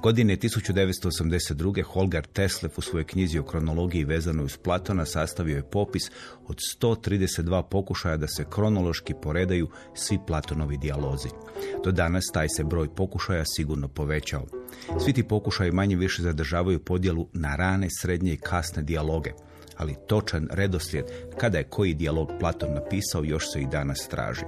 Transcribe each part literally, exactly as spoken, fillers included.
Godine tisuću devetsto osamdeset druge. Holger Teslev u svojoj knjizi o kronologiji vezanoj uz Platona sastavio je popis od sto trideset dva pokušaja da se kronološki poredaju svi Platonovi dijalozi. Do danas taj se broj pokušaja sigurno povećao. Svi ti pokušaji manje više zadržavaju podjelu na rane, srednje i kasne dijaloge, ali točan redoslijed kada je koji dijalog Platon napisao još se i danas traži.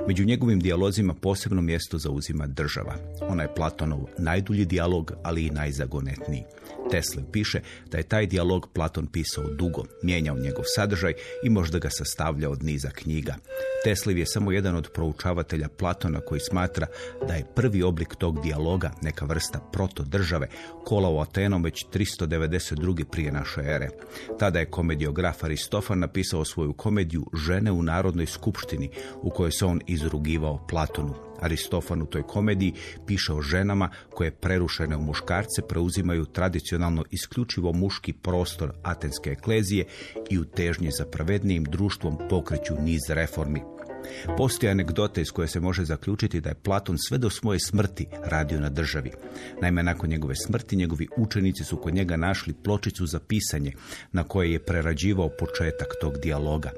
Među njegovim dijalozima posebno mjesto zauzima država. Ona je Platonov najdulji dijalog, ali i najzagonetniji. Teslev piše da je taj dijalog Platon pisao dugo, mijenjao njegov sadržaj i možda ga sastavljao od niza knjiga. Teslev je samo jedan od proučavatelja Platona koji smatra da je prvi oblik tog dijaloga, neka vrsta protodržave, kolao Atenom već tristo devedeset druge. prije naše ere. Tada je komediograf Aristofan napisao svoju komediju Žene u Narodnoj skupštini, u kojoj se on izrugivao Platonu. Aristofan u toj komediji piše o ženama koje prerušene u muškarce preuzimaju tradicionalno isključivo muški prostor atenske eklezije i u težnji za pravednijim društvom pokreću niz reformi. Postoje anegdote iz koje se može zaključiti da je Platon sve do svoje smrti radio na državi. Naime, nakon njegove smrti njegovi učenici su kod njega našli pločicu za pisanje na kojoj je prerađivao početak tog dijaloga.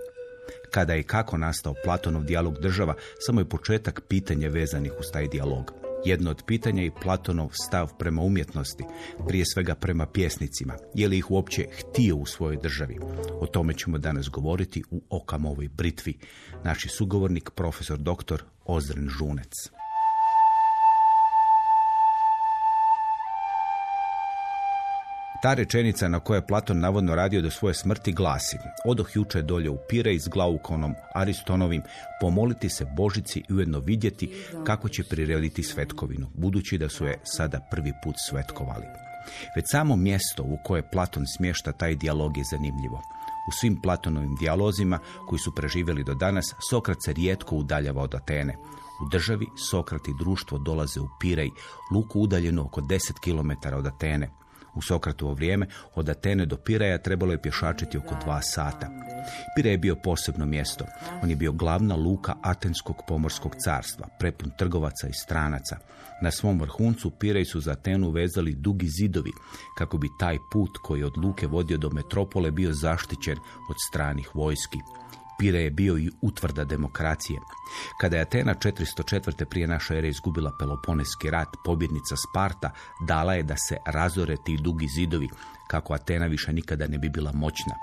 Kada i kako nastao Platonov dijalog država, samo je početak pitanja vezanih uz taj dijalog. Jedno od pitanja je i Platonov stav prema umjetnosti, prije svega prema pjesnicima. Je li ih uopće htio u svojoj državi? O tome ćemo danas govoriti u Okamovoj britvi. Naš sugovornik, profesor doktor Ozren Žunec. Ta rečenica na kojoj je Platon navodno radio do svoje smrti glasi: odoh juče dolje u Pirej s Glaukonom Aristonovim pomoliti se Božici i ujedno vidjeti kako će prirediti svetkovinu, budući da su je sada prvi put svetkovali. Već samo mjesto u koje Platon smješta taj dijalog je zanimljivo. U svim Platonovim dijalozima koji su preživjeli do danas, Sokrat se rijetko udaljava od Atene. U državi Sokrat i društvo dolaze u Pirej, luku udaljenu oko deset kilometara od Atene. U Sokratovo vrijeme od Atene do Piraja trebalo je pješačiti oko dva sata. Pirej je bio posebno mjesto. On je bio glavna luka Atenskog pomorskog carstva, prepun trgovaca i stranaca. Na svom vrhuncu Pirej su za Atenu vezali dugi zidovi, kako bi taj put koji od luke vodio do metropole bio zaštićen od stranih vojski. Pirej je bio i utvrda demokracije. Kada je Atena četiristo četvrte. prije naše ere izgubila Peloponeski rat, pobjednica Sparta dala je da se razore ti dugi zidovi, kako Atena više nikada ne bi bila moćna.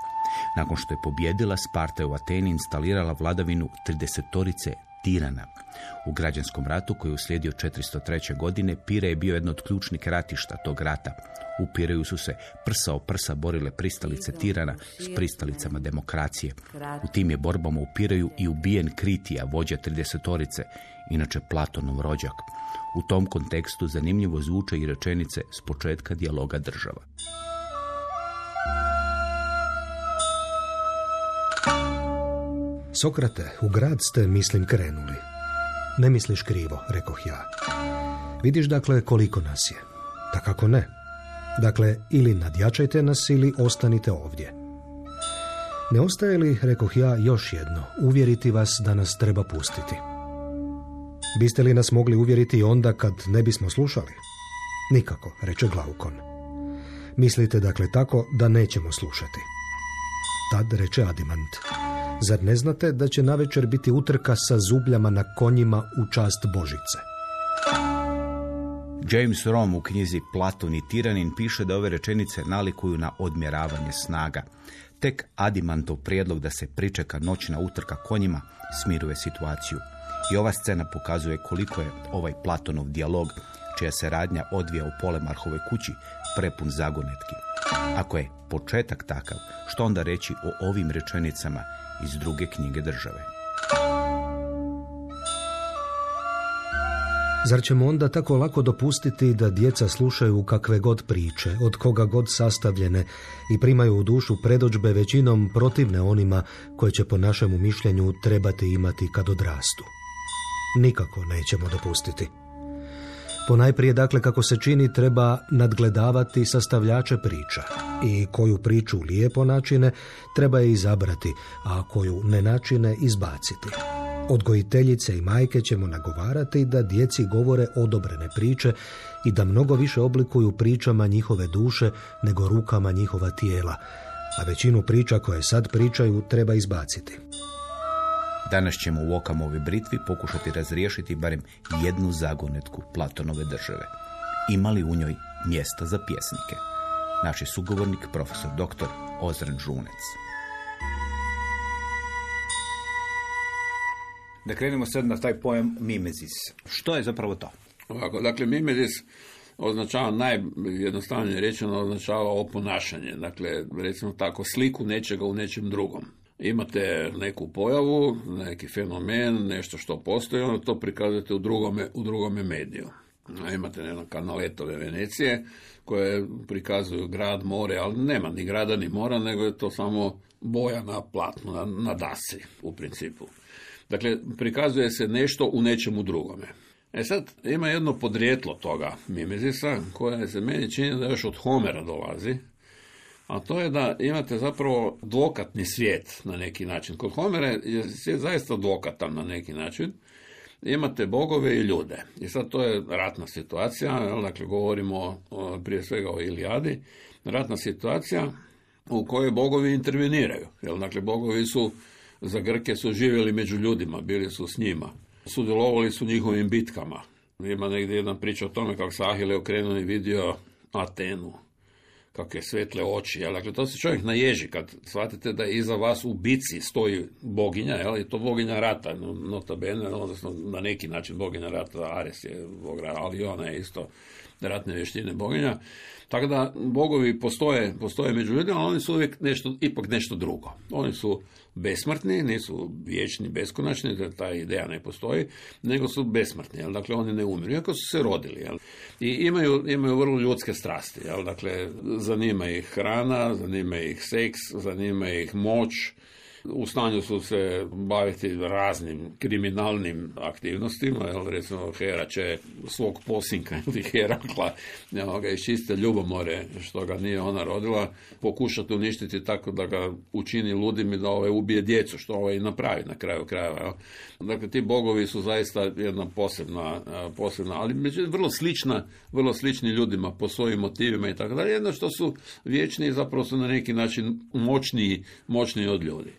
Nakon što je pobjedila, Sparta je u Ateni instalirala vladavinu tridesetorice tirana. U građanskom ratu koji je uslijedio četiristo treće. godine Pirej je bio jedno od ključnih ratišta tog rata. U Pireju su se prsa o prsa borile pristalice tirana s pristalicama demokracije. U tim je borbama u Pireju i ubijen Kritija, vođa tridesetorice, inače Platonov rođak. U tom kontekstu zanimljivo zvuče i rečenice s početka dijaloga država. Sokrate, u grad ste, mislim, krenuli. Ne misliš krivo, rekoh ja. Vidiš, dakle, koliko nas je. Da kako ne. Dakle, ili nadjačajte nas, ili ostanite ovdje. Ne ostaje li, rekoh ja, još jedno, uvjeriti vas da nas treba pustiti? Biste li nas mogli uvjeriti onda kad ne bismo slušali? Nikako, reče Glaukon. Mislite, dakle, tako da nećemo slušati. Tad reče Adimant: zar ne znate da će navečer biti utrka sa zubljama na konjima u čast Božice? James Rom u knjizi Platon i tiranin piše da ove rečenice nalikuju na odmjeravanje snaga. Tek Adimantov prijedlog da se pričeka noćna utrka konjima smiruje situaciju. I ova scena pokazuje koliko je ovaj Platonov dijalog, čija se radnja odvija u Polemarhovoj kući, prepun zagonetki. Ako je početak takav, što onda reći o ovim rečenicama iz druge knjige države? Zar ćemo onda tako lako dopustiti da djeca slušaju kakve god priče, od koga god sastavljene, i primaju u dušu predodžbe većinom protivne onima koje će po našemu mišljenju trebati imati kad odrastu? Nikako nećemo dopustiti. Ponajprije, dakle, kako se čini, treba nadgledavati sastavljače priča i koju priču lijepo načine treba je izabrati, a koju ne načine izbaciti. Odgojiteljice i majke ćemo nagovarati da djeci govore odobrene priče i da mnogo više oblikuju pričama njihove duše nego rukama njihova tijela, a većinu priča koje sad pričaju treba izbaciti. Danas ćemo u Okamovoj britvi pokušati razriješiti barem jednu zagonetku Platonove države. Ima li u njoj mjesta za pjesnike? Naš je sugovornik, profesor doktor Ozren Žunec. Da krenemo sad na taj pojam mimezis. Što je zapravo to? Ovako, dakle, mimezis označava, najjednostavnije rečeno, označava oponašanje. Dakle, recimo tako, sliku nečega u nečem drugom. Imate neku pojavu, neki fenomen, nešto što postoji, onda to prikazujete u drugome, u drugome mediju. Imate ne, kanaletove Venecije koje prikazuju grad, more, ali nema ni grada ni mora, nego je to samo boja na platnu, na, na dasi u principu. Dakle, prikazuje se nešto u nečemu drugome. E sad, ima jedno podrijetlo toga mimezisa, koje se meni čini da još od Homera dolazi, a to je da imate zapravo dvokatni svijet na neki način. Kod Homera je svijet zaista dvokatan na neki način. Imate bogove i ljude. I sad to je ratna situacija, dakle govorimo prije svega o Ilijadi, ratna situacija u kojoj bogovi interveniraju. Dakle, bogovi su za Grke su živjeli među ljudima, bili su s njima. Sudjelovali su njihovim bitkama. Ima negdje jedna priča o tome kako se Ahile okrenuo i vidio Atenu, kakve svetle oči. Jel? Dakle, to se čovjek naježi kad shvatite da iza vas u bici stoji boginja, jel? I to boginja rata, notabene, odnosno na neki način boginja rata, Ares je bog rata, ali ona je isto ratne vještine boginja. Tako da bogovi postoje, postoje među ljudima, ali oni su uvijek nešto, ipak nešto drugo. Oni su besmrtni, nisu vječni, beskonačni, da ta ideja ne postoji, nego su besmrtni, jel? Dakle, oni ne umiru, iako su se rodili. Jel? I imaju, imaju vrlo ljudske strasti. Jel? Dakle, zanima ih hrana, zanima ih seks, zanima ih moć, u stanju su se baviti raznim kriminalnim aktivnostima, jel, recimo Hera će svog posinka ili Herakla, jel, ga iz čiste ljubomore, što ga nije ona rodila, pokušati uništiti tako da ga učini ludim i da ovaj ubije djecu, što ovaj i napravi na kraju krajeva. Jel. Dakle, ti bogovi su zaista jedna posebna, posebna ali međutim vrlo slična, vrlo slični ljudima po svojim motivima i tako dalje, jedno što su vječni i zapravo su na neki način moćniji, moćniji od ljudi.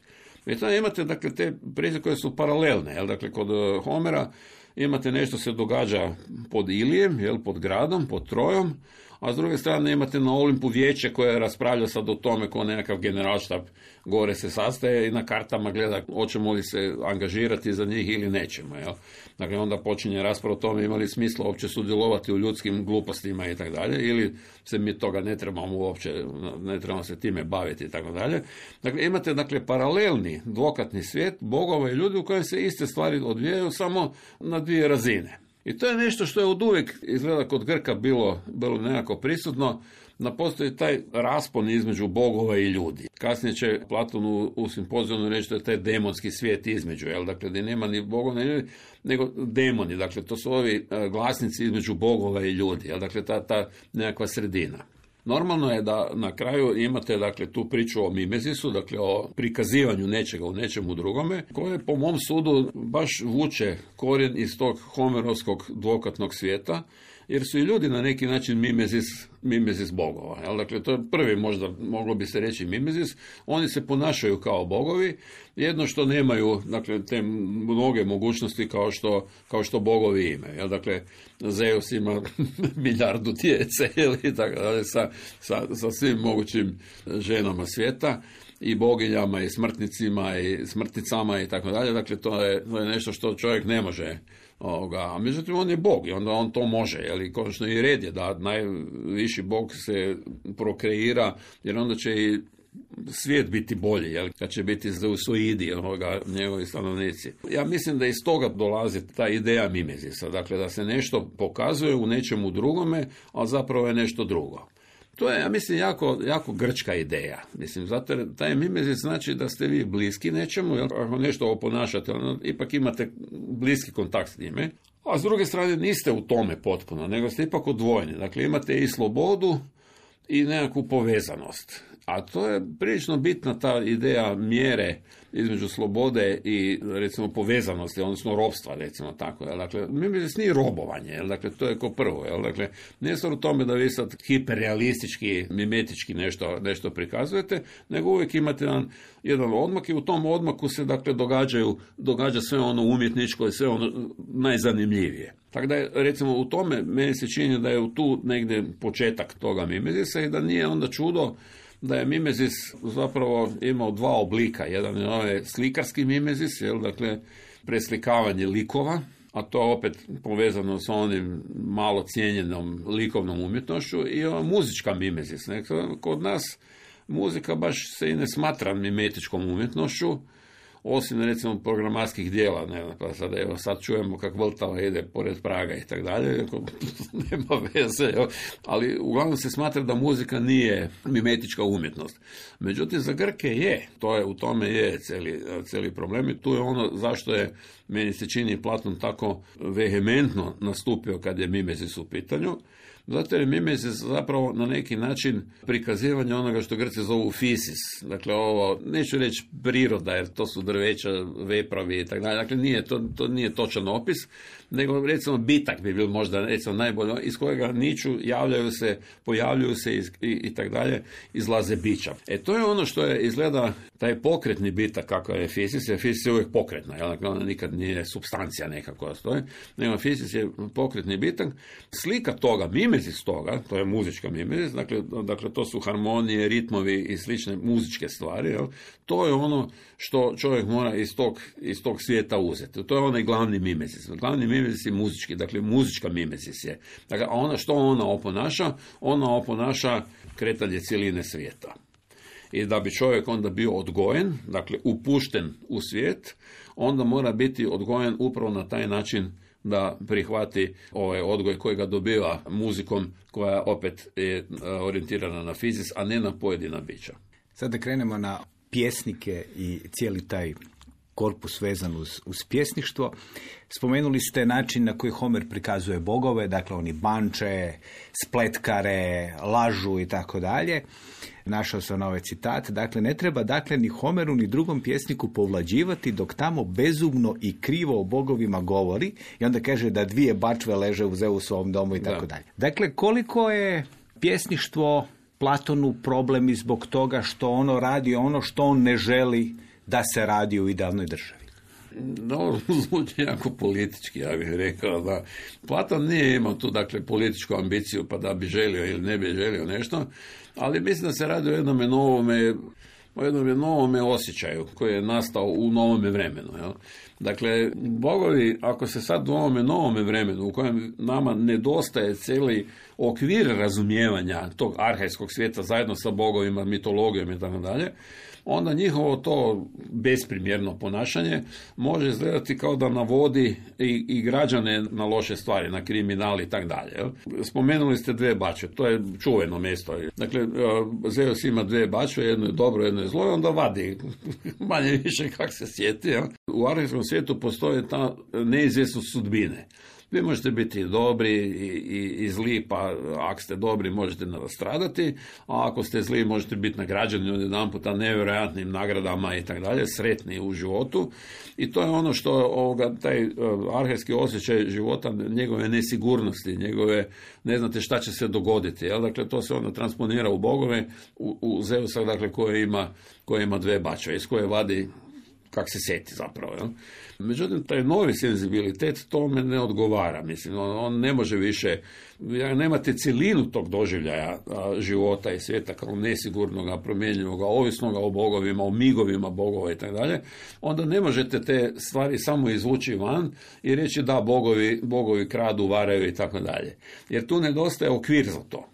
I tada imate, dakle, te priče koje su paralelne, jel? Dakle, kod Homera imate nešto se događa pod Ilijem, jel? Pod gradom, pod Trojom, a s druge strane imate na Olimpu vijeće koje raspravlja sad o tome ko nekakav generalštab gore se sastaje i na kartama gleda hoćemo li se angažirati za njih ili nećemo. Jel? Dakle, onda počinje rasprava o tome ima li smisla uopće sudjelovati u ljudskim glupostima i tako dalje, ili se mi toga ne trebamo uopće, ne trebamo se time baviti i tako dalje. Dakle, imate, dakle, paralelni dvokatni svijet bogova i ljudi u kojem se iste stvari odvijaju samo na dvije razine. I to je nešto što je od uvijek izgleda kod Grka bilo, bilo nekako prisutno, da postoji taj raspon između bogova i ljudi. Kasnije će Platon u, u Simpozijonu reći da je taj demonski svijet između, jel? Dakle, da nema ni bogova ni ljudi, nego demoni. Dakle, to su ovi glasnici između bogova i ljudi, jel? Dakle, ta, ta nekakva sredina. Normalno je da na kraju imate, dakle, tu priču o mimezisu, dakle o prikazivanju nečega u nečemu drugome, koje po mom sudu baš vuče korijen iz tog homerovskog dvokatnog svijeta, jer su i ljudi na neki način mimezis, mimezis bogova. Jel? Dakle, to je prvi, možda moglo bi se reći mimezis. Oni se ponašaju kao bogovi, jedno što nemaju, dakle, te mnoge mogućnosti kao što, kao što bogovi imaju. Jel? Dakle, Zeus ima milijardu djece ili tako dalje, sa, sa, sa svim mogućim ženama svijeta i boginjama i smrtnicima i smrtnicama i tako dalje. Dakle, to je, to je nešto što čovjek ne može. Ovoga. A međutim, on je bog i onda on to može. Jel? Konačno i red je da najviši bog se prokreira, jer onda će i svijet biti bolji, jel? Kad će biti zeusoidi, ovoga, njegovi stanovnici. Ja mislim da iz toga dolazi ta ideja mimezisa, dakle da se nešto pokazuje u nečemu drugome, a zapravo je nešto drugo. To je, ja mislim, jako, jako grčka ideja. Mislim, zato jer taj mimezis znači da ste vi bliski nečemu, jel? Ako nešto oponašate, ono, ipak imate bliski kontakt s njime, a s druge strane niste u tome potpuno, nego ste ipak odvojeni. Dakle, imate i slobodu i nekakvu povezanost. A to je prilično bitna ta ideja mjere između slobode i recimo povezanosti, odnosno ropstva, recimo tako. Jel? Dakle, mimezis nije robovanje, jel? Dakle, to je ko prvo. Jel? Dakle, nije stvar u tome da vi sad hiperrealistički, mimetički nešto, nešto prikazujete, nego uvijek imate jedan, jedan odmak i u tom odmaku se dakle događaju, događa sve ono umjetničko i sve ono najzanimljivije. Tako da je, recimo, u tome meni se čini da je tu negdje početak toga mimezisa i da nije onda čudo da je mimezis zapravo imao dva oblika. Jedan je ovaj slikarski mimezis, jel, dakle, preslikavanje likova, a to je opet povezano sa onim malo cijenjenom likovnom umjetnošću, i ova muzička mimezis. Kod nas muzika baš se i ne smatra mimetičkom umjetnošću, osim recimo programatskih dijela, ne, pa sad, evo, sad čujemo kak Vltava ide pored Praga i tak dalje, nema veze, jo. Ali uglavnom se smatra da muzika nije mimetička umjetnost. Međutim, za Grke je, to je, u tome je cijeli, cijeli problem i tu je ono zašto je, meni se čini, Platon tako vehementno nastupio kad je mimezis u pitanju. Zato je mimezis zapravo na neki način prikazivanje onoga što Grci zovu fisis. Dakle, ovo, neću reći priroda, jer to su drveća, vepravi i tako dalje. Dakle, nije, to, to nije točan opis, nego recimo bitak bi bil možda recimo najbolje, iz kojega niču, javljaju se, pojavljuju se i, i, i tako dalje, izlaze bića. E, to je ono što je, izgleda, taj pokretni bitak, kako je fisis, jer fisis je uvijek pokretna, jel? Dakle, ona nikad nije supstancija neka koja stoji, nego fisis je pokretni bitak. Slika toga, mimezis toga, to je muzička mimezis, dakle, dakle to su harmonije, ritmovi i slične muzičke stvari, jel? To je ono što čovjek mora iz tog, iz tog svijeta uzeti. To je onaj glavni mimezis. Glavni mimezis je muzički, dakle muzička mimezis je. Dakle, a ona, što ona oponaša? Ona oponaša kretanje cijeline svijeta. I da bi čovjek onda bio odgojen, dakle upušten u svijet, onda mora biti odgojen upravo na taj način da prihvati ovaj odgoj koji ga dobiva muzikom, koja opet je orijentirana na fizis, a ne na pojedina bića. Sad da krenemo na pjesnike i cijeli taj korpus vezan uz, uz pjesništvo. Spomenuli ste način na koji Homer prikazuje bogove, dakle oni banče, spletkare, lažu i tako dalje. Našao sam ovaj citat, dakle ne treba dakle ni Homeru ni drugom pjesniku povlađivati dok tamo bezumno i krivo o bogovima govori, i onda kaže da dvije bačve leže u Zeusovom domu i tako dalje. Dakle, koliko je pjesništvo Platonu problem i zbog toga što ono radi ono što on ne želi da se radi u idealnoj državi? No, zvuči jako politički, ja bih rekao da Platon nije imao tu, dakle, političku ambiciju pa da bi želio ili ne bi želio nešto, ali mislim da se radi o jednome novome, o jednome novome osjećaju koji je nastao u novome vremenu. Jel? Dakle, bogovi, ako se sad u ovome novome vremenu u kojem nama nedostaje cijeli okvir razumijevanja tog arhajskog svijeta zajedno sa bogovima, mitologijom i tako dalje, onda njihovo to besprimjerno ponašanje može izgledati kao da navodi i, i građane na loše stvari, na kriminal i tako dalje. Spomenuli ste dve bačve, to je čuveno mjesto. Dakle, Zeus ima dve bačve, jedno je dobro, jedno je zlo, i onda vadi manje više kak se sjeti. Jel? U arhajskom svijetu postoji ta neizvjesnost sudbine. Vi možete biti dobri i, i, i zli, pa ako ste dobri možete nastradati, a ako ste zli možete biti nagrađeni od jedan puta nevjerojatnim nagradama i tako dalje, sretni u životu. I to je ono što ovoga, taj uh, arhajski osjećaj života, njegove nesigurnosti, njegove, ne znate šta će se dogoditi. Jel? Dakle, to se onda transponira u bogove, u, u Zeusa, dakle, koje ima, koje ima dve bačve, iz koje vadi kak se seti zapravo. Jel? Međutim, taj novi senzibilitet tome ne odgovara. Mislim, on, on ne može više, nemate cjelinu tog doživljaja a, života i svijeta kao nesigurnoga, promjenjivoga, ovisnoga o bogovima, o migovima bogova i tako dalje, onda ne možete te stvari samo izvući van i reći da, bogovi, bogovi kradu, varaju i tako dalje. Jer tu nedostaje okvir za to.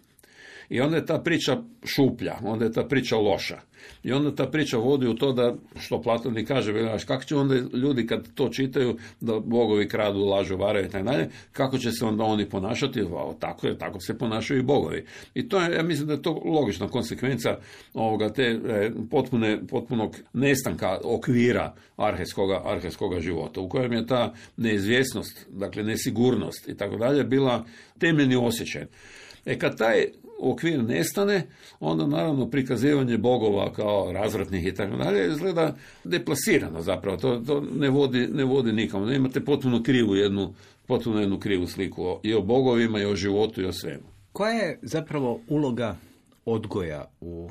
I onda je ta priča šuplja, onda je ta priča loša. I onda ta priča vodi u to da, što Platon i kaže, kako će onda ljudi kad to čitaju, da bogovi kradu, lažu, varaju i tako dalje, kako će se onda oni ponašati? O, tako je, tako se ponašaju i bogovi. I to je, ja mislim da je to logična konsekvenca ovoga te e, potpune, potpunog nestanka okvira arhajskoga, arhajskoga života, u kojem je ta neizvjesnost, dakle nesigurnost i tako dalje, bila temeljni osjećaj. E kad taj okvir nestane, onda naravno prikazivanje bogova kao razvratnih i tako dalje izgleda deplasirano zapravo. To, to ne vodi, ne vodi nikamo. Imate potpuno krivu jednu, potpuno jednu krivu sliku i o bogovima, i o životu, i o svemu. Koja je zapravo uloga odgoja u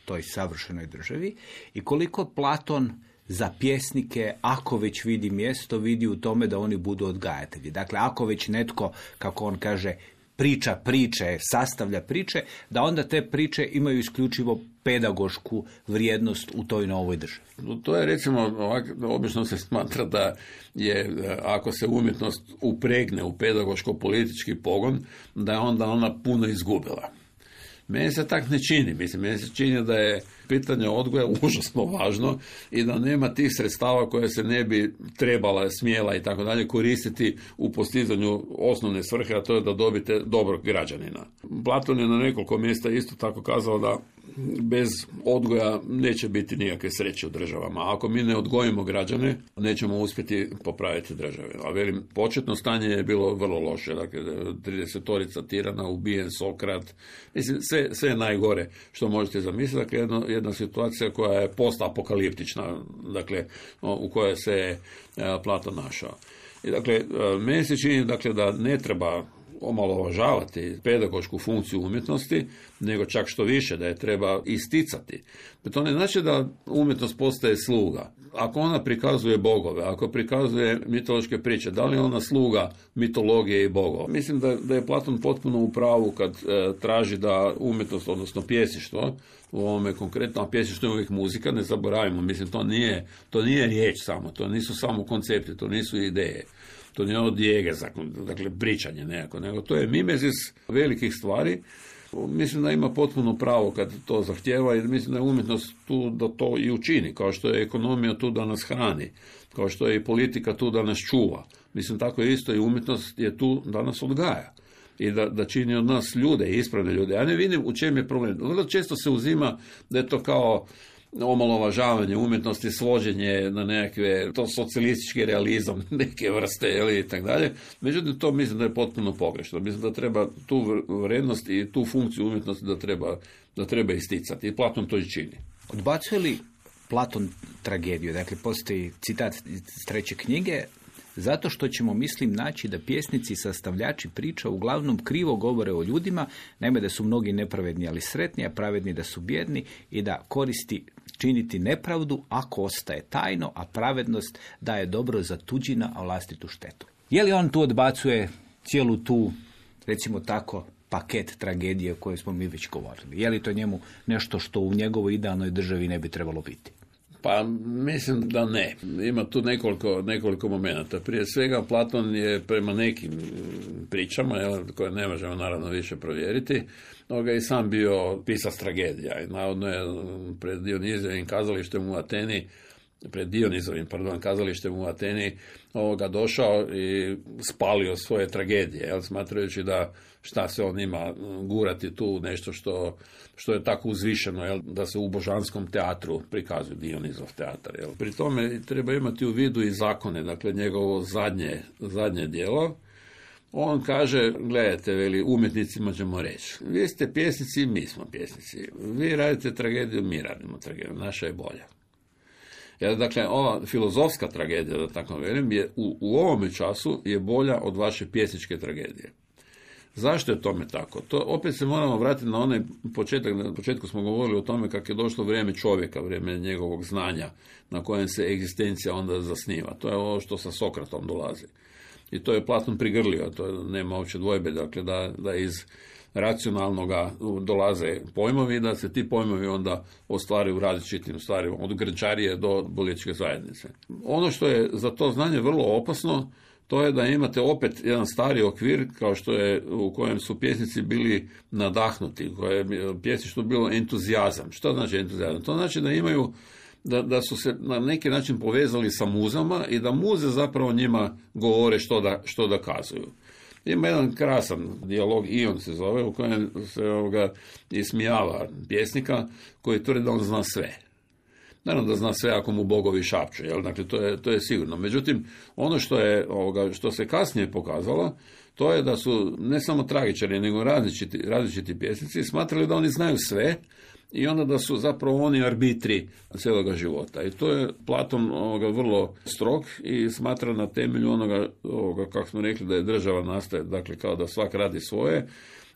toj savršenoj državi i koliko Platon za pjesnike, ako već vidi mjesto, vidi u tome da oni budu odgajatelji. Dakle, ako već netko, kako on kaže, priča priče, sastavlja priče, da onda te priče imaju isključivo pedagošku vrijednost u toj novoj državi. To je, recimo, ovak, obično se smatra da je, ako se umjetnost upregne u pedagoško-politički pogon, da je onda ona puno izgubila. Meni se tak ne čini. Mislim, meni se čini da je pitanje odgoja užasno važno i da nema tih sredstava koje se ne bi trebala, smjela i tako dalje koristiti u postizanju osnovne svrhe, a to je da dobite dobrog građanina. Platon je na nekoliko mjesta isto tako kazao da bez odgoja neće biti nikakve sreće u državama. Ako mi ne odgojimo građane, nećemo uspjeti popraviti države. A velim, početno stanje je bilo vrlo loše. Dakle, tridesetorica tirana, ubijen Sokrat. Mislim, sve, sve najgore što možete zamisliti. Dakle, jedna, jedna situacija koja je postapokaliptična, dakle, u kojoj se Platon našao. I dakle, meni se čini, dakle, da ne treba omalovažavati pedagošku funkciju umjetnosti, nego čak što više, da je treba isticati. To ne znači da umjetnost postaje sluga. Ako ona prikazuje bogove, ako prikazuje mitološke priče, da li je ona sluga mitologije i bogova? Mislim da, da je Platon potpuno u pravu kad e, traži da umjetnost, odnosno pjesništvo, u ovome konkretno, a pjesništvo je uvijek muzika, ne zaboravimo, mislim, to nije, to nije riječ samo, to nisu samo koncepti, to nisu ideje. To nije od dijege, dakle, pričanje nekako, nego to je mimezis velikih stvari. Mislim da ima potpuno pravo kad to zahtjeva i mislim da je umjetnost tu da to i učini, kao što je ekonomija tu da nas hrani, kao što je i politika tu da nas čuva. Mislim, tako je isto i umjetnost je tu da nas odgaja i da, da čini od nas ljude, ispravne ljude. Ja ne vidim u čem je problem. Vrlo često se uzima da je to kao omalovažavanje umjetnosti, svođenje na nekakve, to socijalistički realizam neke vrste, ili i tako dalje. Međutim, to mislim da je potpuno pogrešno. Mislim da treba tu vrijednost i tu funkciju umjetnosti da treba, da treba isticati. I Platon to i čini. Odbacuje li Platon tragediju? Dakle, postoji citat iz treće knjige, zato što ćemo, mislim, naći da pjesnici i sastavljači priča uglavnom krivo govore o ljudima, naime da su mnogi nepravedni ali sretni, a pravedni da su bjedni i da koristi činiti nepravdu ako ostaje tajno, a pravednost da je dobro za tuđina, a vlastitu štetu. Je li on tu odbacuje cijelu tu, recimo tako, paket tragedije o kojoj smo mi već govorili? Je li to njemu nešto što u njegovoj idealnoj državi ne bi trebalo biti? Pa mislim da ne. Ima tu nekoliko, nekoliko momenata. Prije svega Platon je prema nekim pričama, jel, koje ne možemo naravno više provjeriti, ovoga i sam bio pisac tragedija. I navodno je pred Dionizovim kazalištem u Ateni, pred Dionizovim, pardon, kazalištem u Ateni, ovoga došao i spalio svoje tragedije, jel, smatrajući da šta se on ima gurati tu nešto što, što je tako uzvišeno, jel, da se u božanskom teatru prikazuje Dionizov teatar. Jel. Pri tome treba imati u vidu i zakone, dakle njegovo zadnje, zadnje djelo. On kaže, gledajte, veli, umjetnicima ćemo reći, vi ste pjesnici, mi smo pjesnici. Vi radite tragediju, mi radimo tragediju, naša je bolja. Jer, dakle, ova filozofska tragedija, da tako velim, je u, u ovome času je bolja od vaše pjesničke tragedije. Zašto je tome tako? To opet se moramo vratiti na onaj početak. Na početku smo govorili o tome kako je došlo vrijeme čovjeka, vrijeme njegovog znanja, na kojem se egzistencija onda zasniva. To je ovo što sa Sokratom dolazi. I to je Platon prigrlio, to nema uopće dvojbe, dakle, da, da iz racionalnoga dolaze pojmovi, da se ti pojmovi onda ostvaraju u različitim stvarima, od grčarije do političke zajednice. Ono što je za to znanje vrlo opasno, to je da imate opet jedan stari okvir, kao što je, u kojem su pjesnici bili nadahnuti, u kojem je pjesništvo bilo entuzijazam. Što znači entuzijazam? To znači da imaju, da, da su se na neki način povezali sa muzama i da muze zapravo njima govore što da, što da kazuju. Ima jedan krasan dijalog, Ion se zove, u kojem se ovoga ismijava pjesnika koji tvrdi da on zna sve. Naravno da zna sve ako mu bogovi šapću, jel? Dakle, to je, to je sigurno. Međutim, ono što, je, ovoga, što se kasnije pokazalo, to je da su ne samo tragičari, nego različiti, različiti pjesnici smatrali da oni znaju sve i onda da su zapravo oni arbitri cijeloga života. I to je Platon ovoga, vrlo strog i smatra na temelju onoga, ovoga, kako smo rekli, da je država nastaje, dakle kao da svak radi svoje.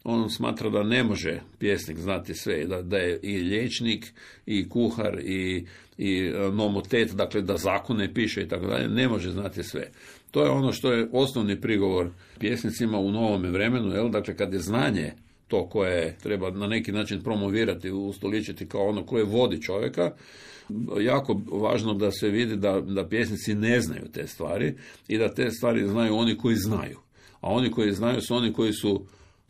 On smatra da ne može pjesnik znati sve, da, da je i liječnik, i kuhar, i, i nomotet, dakle da zakone piše i tako dalje, ne može znati sve. To je ono što je osnovni prigovor pjesnicima u novome vremenu, jel? Dakle kad je znanje to koje treba na neki način promovirati, ustoličiti kao ono koje vodi čovjeka, jako važno da se vidi da, da pjesnici ne znaju te stvari i da te stvari znaju oni koji znaju. A oni koji znaju su oni koji su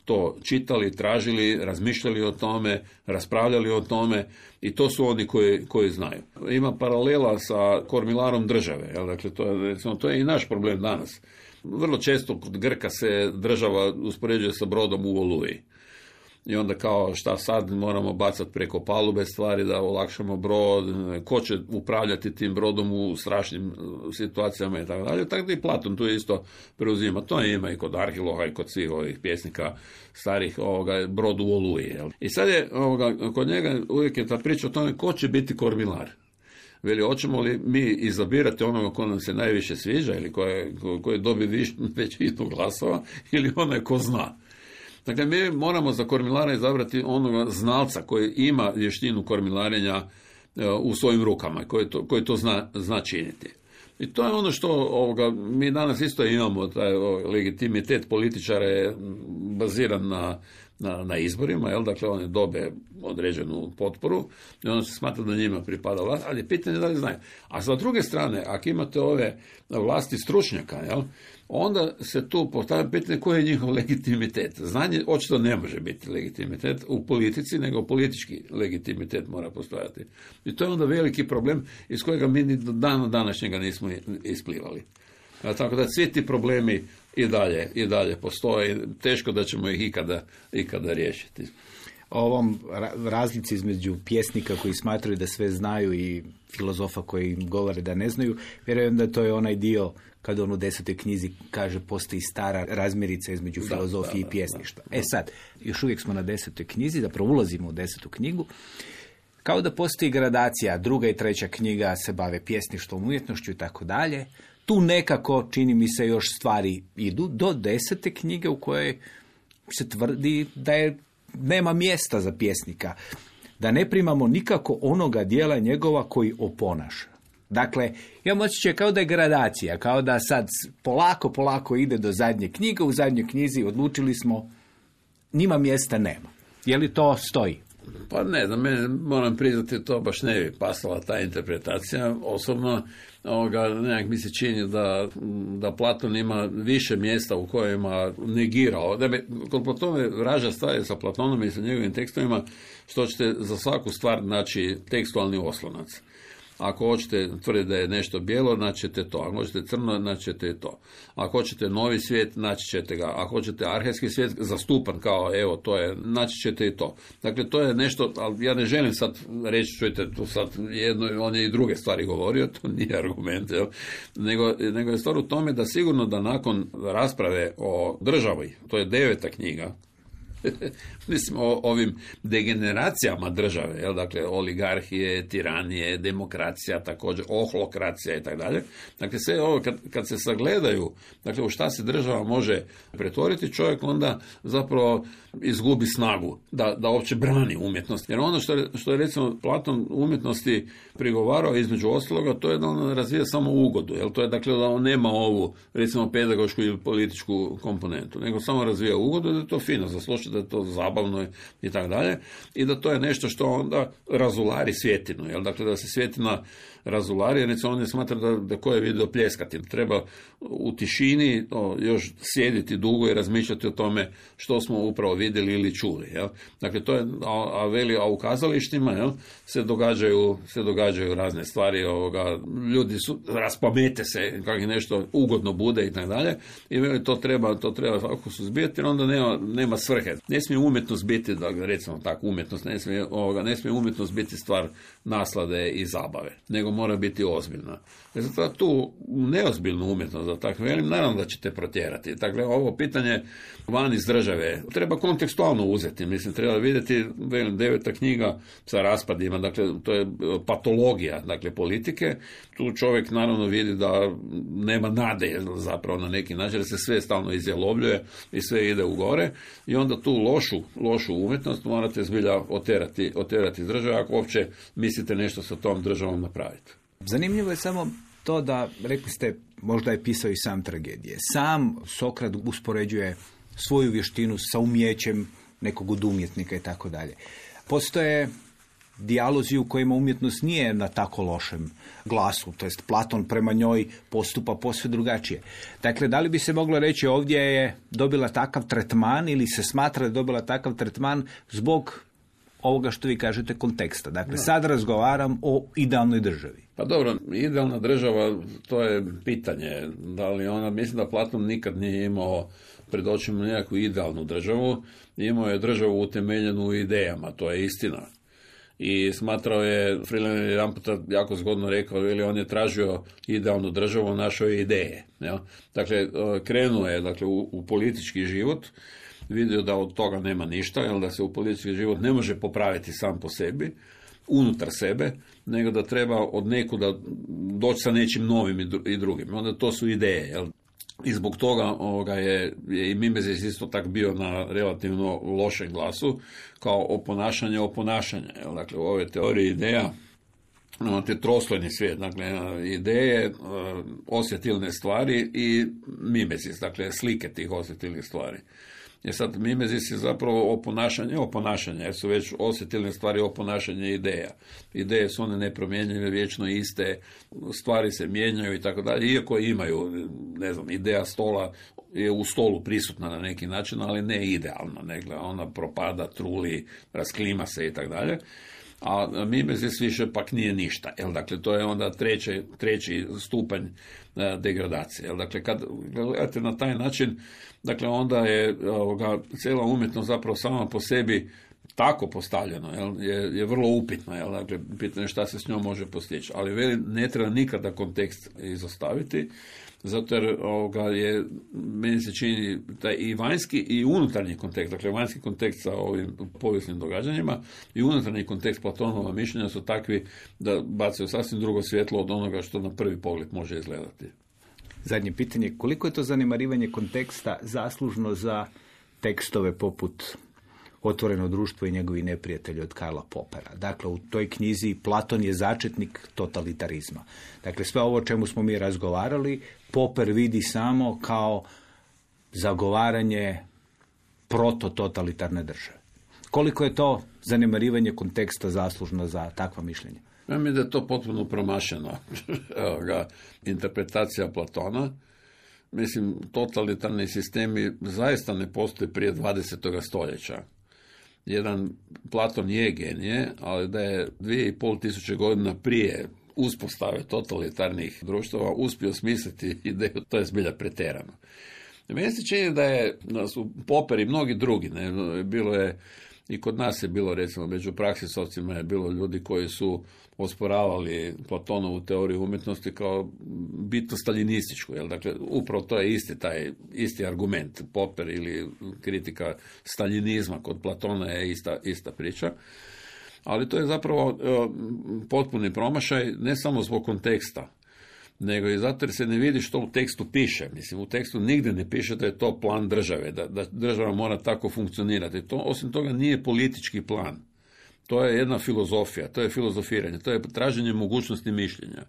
to čitali, tražili, razmišljali o tome, raspravljali o tome i to su oni koji, koji znaju. Ima paralela sa kormilarom države, jel? Dakle, to je, recimo, to je i naš problem danas. Vrlo često kod Grka se država uspoređuje sa brodom u Oluji. I onda kao šta sad moramo bacati preko palube stvari da olakšamo brod, ko će upravljati tim brodom u strašnim situacijama i tako dalje. Tako da i Platon tu isto preuzima. To ima i kod Arhiloha i kod svih ovih pjesnika starih ovoga, brod u Oluji. Jel? I sad je ovoga, kod njega uvijek je ta priča o tome ko će biti kormilar. Veli, hoćemo li mi izabirati onoga ko nam se najviše sviđa ili koje, koje dobi većinu glasova ili onaj ko zna. Dakle, mi moramo za kormilara izabrati onoga znalca koji ima vještinu kormilarenja u svojim rukama, koji to, koji to zna, zna činiti. I to je ono što ovoga, mi danas isto imamo, taj o, legitimitet političara je baziran na, na, na izborima, jel? Dakle, oni dobe određenu potporu i onda se smatra da njima pripada vlast, ali je pitanje da li znaju. A sa druge strane, ako imate ove vlasti stručnjaka, jel? Onda se tu postavlja pitanje koji je njihov legitimitet. Znanje očito ne može biti legitimitet u politici, nego politički legitimitet mora postojati. I to je onda veliki problem iz kojega mi ni do dana današnjega nismo isplivali. A tako da svi ti problemi i dalje, i dalje postoje. Teško da ćemo ih ikada, ikada riješiti. O ovom razlici između pjesnika koji smatraju da sve znaju i filozofa koji im govore da ne znaju, vjerujem da to je onaj dio kada on u desetoj knjizi kaže postoji stara razmirica između da, filozofije da, i pjesništva. Da, da. E sad, još uvijek smo na desetoj knjizi, da ulazimo u desetu knjigu, kao da postoji gradacija, druga i treća knjiga se bave pjesništvom, umjetnošću i tako dalje. Tu nekako, čini mi se, još stvari idu do desete knjige u kojoj se tvrdi da je nema mjesta za pjesnika, da ne primamo nikako onoga dijela njegova koji oponaša. Dakle, imam osjećaj kao da je gradacija, kao da sad polako, polako ide do zadnje knjige, u zadnjoj knjizi odlučili smo, njima mjesta nema. Je li to stoji? Pa ne, da mene moram priznati, to baš ne bi pasala ta interpretacija. Osobno, ovoga, nekak mi se čini da, da Platon ima više mjesta u kojima negirao. Da bi, kod Platone vraža stvari sa Platonom i sa njegovim tekstovima, što ćete za svaku stvar naći tekstualni oslonac. Ako hoćete tvrditi da je nešto bijelo, naći ćete to. Ako hoćete crno, naći ćete to. Ako hoćete novi svijet, naći ćete ga. Ako hoćete arhejski svijet, zastupan kao, evo, to je, naći ćete i to. Dakle, to je nešto, ali ja ne želim sad reći, čujte, tu sad jedno, on je i druge stvari govorio, to nije argument, jel? Nego, nego je stvar u tome da sigurno da nakon rasprave o državi, to je deveta knjiga, mislim o ovim degeneracijama države, jel? Dakle oligarhije, tiranije, demokracija, također ohlokracija i tako dalje. Dakle sve ovo kad, kad se sagledaju, dakle u šta se država može pretvoriti, čovjek onda zapravo izgubi snagu da, da uopće brani umjetnost. Jer ono što je, što je recimo Platon umjetnosti prigovarao između ostaloga, to je da on razvija samo ugodu, jel? To je dakle da on nema ovu recimo pedagošku ili političku komponentu, nego samo razvija ugodu, da je to fino za slušati, da je to zabavno i tako dalje, i da to je nešto što onda razulari svjetinu, jel? Dakle da se svjetina razulari, recimo on je smatra da, da ko je vidio pljeskati, treba u tišini o, još sjediti dugo i razmišljati o tome što smo upravo vidjeli ili čuli, jel? Dakle to je, a, a veli, a u kazalištima, jel, se događaju, se događaju razne stvari, ovoga, ljudi su, raspamete se kako im nešto ugodno bude i tako dalje, i veli to treba, to treba svako suzbijati jer onda nema, nema svrhe. ne smije umjetnost biti, da recimo tako, umjetnost, ne smije, ovoga, ne smije umjetnost biti stvar naslade i zabave, nego mora biti ozbiljna. E zato tu neozbiljnu umjetnost, da tako velim, naravno da ćete protjerati. Dakle, ovo pitanje van iz države treba kontekstualno uzeti, mislim, treba vidjeti, velim, deveta knjiga sa raspadima, dakle, to je patologija, dakle, politike, tu čovjek naravno vidi da nema nade zapravo na neki način, da se sve stalno izjalovljuje i sve ide u gore i onda tu lošu, lošu umjetnost morate zbilja oterati, oterati iz države ako uopće mislite nešto sa tom državom napraviti. Zanimljivo je samo to da, rekli ste, možda je pisao i sam tragedije. Sam Sokrat uspoređuje svoju vještinu sa umjećem nekog od umjetnika i tako dalje. Postoje dijalozi u kojima umjetnost nije na tako lošem glasu, to jest Platon prema njoj postupa posve drugačije. Dakle, da li bi se moglo reći ovdje je dobila takav tretman ili se smatra da je dobila takav tretman zbog ovoga što vi kažete konteksta. Dakle, no. Sad razgovaram o idealnoj državi. Pa dobro, idealna država, to je pitanje. Da li ona, mislim da Platon nikad nije imao pred očima nekakvu idealnu državu, imao je državu utemeljenu u idejama, to je istina. I smatrao je, Freeland je jedan puta jako zgodno rekao, ili on je tražio idealnu državu, našao je ideje. Jel? Dakle, krenuo je dakle, u, u politički život, vidio da od toga nema ništa, jel, da se u politički život ne može popraviti sam po sebi, unutar sebe, nego da treba od nekuda doći sa nečim novim i drugim. Onda to su ideje. Jel? I zbog toga ovoga je, je i Mimezis isto tak bio na relativno lošem glasu, kao oponašanje oponašanje. Jel? Dakle, u ove teorije ideja, te troslojni svijet, dakle, ideje, osjetilne stvari i Mimezis, dakle, slike tih osjetilnih stvari. Jer sad Mimezis je zapravo oponašanje, oponašanje, jer su već osjetilne stvari oponašanje ideja. Ideje su one nepromjenjive, vječno iste, stvari se mijenjaju i tako dalje, iako imaju, ne znam, ideja stola je u stolu prisutna na neki način, ali ne idealna, nego ona propada, truli, rasklima se i tako dalje. A Mimezis više pak nije ništa. Jel, dakle, to je onda treći, treći stupanj degradacije. Jel, dakle, kad gledate na taj način, dakle, onda je ovoga, cijela umjetnost zapravo sama po sebi tako postavljeno, jel, je, je vrlo upitno. Jel, dakle, pitanje šta se s njom može postići. Ali veli, ne treba nikada kontekst izostaviti, zato jer ovoga je, meni se čini taj i vanjski i unutarnji kontekst, dakle vanjski kontekst sa ovim povijesnim događanjima i unutarnji kontekst Platonova mišljenja su takvi da bacaju sasvim drugo svjetlo od onoga što na prvi pogled može izgledati. Zadnje pitanje, koliko je to zanemarivanje konteksta zaslužno za tekstove poput Otvoreno društvo i njegovi neprijatelji od Karla Popera. Dakle, u toj knjizi Platon je začetnik totalitarizma. Dakle, sve ovo o čemu smo mi razgovarali, Popper vidi samo kao zagovaranje protototalitarne države. Koliko je to zanemarivanje konteksta zaslužno za takva mišljenja? Ja mislim da je to potpuno promašena interpretacija Platona. Mislim, totalitarni sistemi zaista ne postoje prije dvadesetog stoljeća. Jedan Platon je genije, ali da je dvije i pol tisuće godina prije uspostave totalitarnih društava uspio smisliti ideju, to je zbilja pretjerano. Meni se čini da je, da su Popper i mnogi drugi, ne, bilo je, i kod nas je bilo, recimo, među praksisovcima je bilo ljudi koji su osporavali Platonovu teoriju umjetnosti kao bitno staljinističku, jel? Dakle, upravo to je isti taj, isti argument, Popper ili kritika staljinizma kod Platona je ista, ista priča. Ali to je zapravo potpuni promašaj, ne samo zbog konteksta, nego i zato jer se ne vidi što u tekstu piše. Mislim, u tekstu nigdje ne piše da je to plan države, da, da država mora tako funkcionirati. To, osim toga, nije politički plan. To je jedna filozofija, to je filozofiranje, to je traženje mogućnosti mišljenja.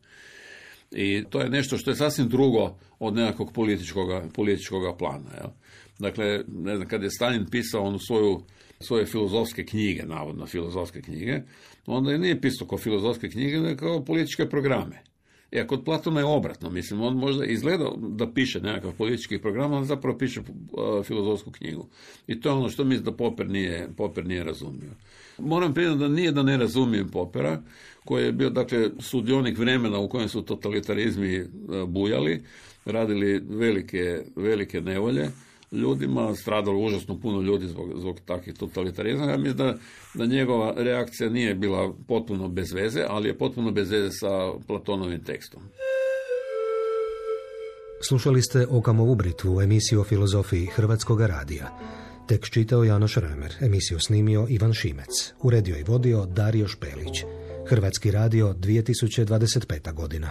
I to je nešto što je sasvim drugo od nekakvog političkoga, političkoga plana. Jel? Dakle, ne znam, kad je Stalin pisao onu svoju, svoje filozofske knjige, navodno filozofske knjige, onda je nije pisao kao filozofske knjige, nego kao političke programe. I kod Platona je obratno, mislim, on možda izgleda da piše nekakav politički program, ali zapravo piše uh, filozofsku knjigu. I to je ono što mislim da Popper nije, Popper nije razumio. Moram priznati da nije da ne razumijem Poppera, koji je bio, dakle, sudionik vremena u kojem su totalitarizmi uh, bujali, radili velike, velike nevolje, ljudima, stradalo užasno puno ljudi zbog, zbog takvih totalitarizma. Ja mislim da, da njegova reakcija nije bila potpuno bez veze, ali je potpuno bez veze sa Platonovim tekstom. Slušali ste Okamovu britvu, emisiju o filozofiji Hrvatskog radija. Tekst čitao Janoš Remer, emisiju snimio Ivan Šimec, uredio i vodio Dario Špelić. Hrvatski radio dvije tisuće dvadeset peta godina.